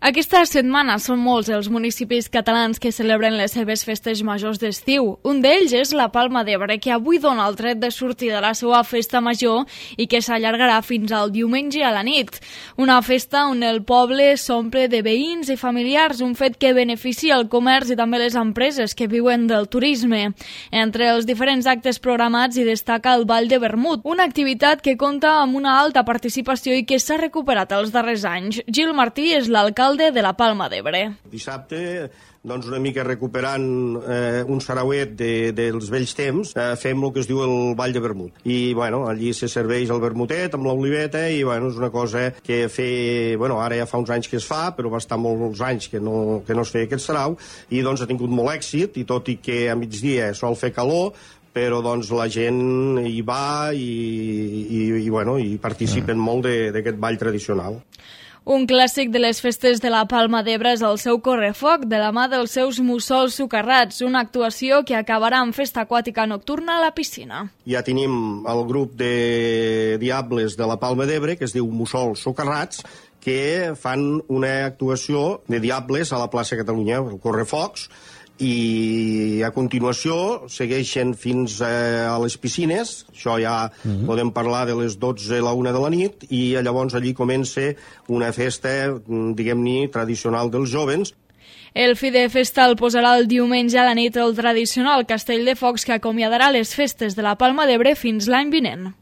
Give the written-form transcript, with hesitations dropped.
Aquesta setmana són molts els municipis catalans que celebren les seves festes majors d'estiu. Un d'ells és la Palma d'Ebre, que avui dona el tret de sortir de la seva festa major i que s'allargarà fins al diumenge a la nit. Una festa on el poble s'omple de veïns i familiars, un fet que beneficia el comerç i també les empreses que viuen del turisme. Entre els diferents actes programats hi destaca el Ball de Vermut, una activitat que compta amb una alta participació i que s'ha recuperat els darrers anys. Gil Martí és l'alcalde de la Palma d'Ebre. Dissabte, doncs una mica recuperant un sarauet dels vells temps, fem el que es diu el Ball de Vermut. I, bueno, allí se serveix el vermutet amb l'oliveta i, bueno, és una cosa que ara ja fa uns anys que es fa, però va estar molts anys que no es feia aquest sarau, i doncs ha tingut molt èxit, i tot i que a migdia sol fer calor, però doncs la gent hi va i participen molt d'aquest ball tradicional. Un clàssic de les festes de la Palma d'Ebre és el seu correfoc, de la mà dels seus mussols socarrats, una actuació que acabarà amb festa aquàtica nocturna a la piscina. Ja tenim el grup de diables de la Palma d'Ebre, que es diu Mussols Socarrats, que fan una actuació de diables a la plaça Catalunya, el correfocs, i a continuació segueixen fins a les piscines. Això ja podem parlar de les 12 a la 1 de la nit, i llavors allí comença una festa, diguem-ne, tradicional dels jovens. El fi de festa el posarà el diumenge a la nit el tradicional castell de focs que acomiadarà les festes de la Palma d'Ebre fins l'any vinent.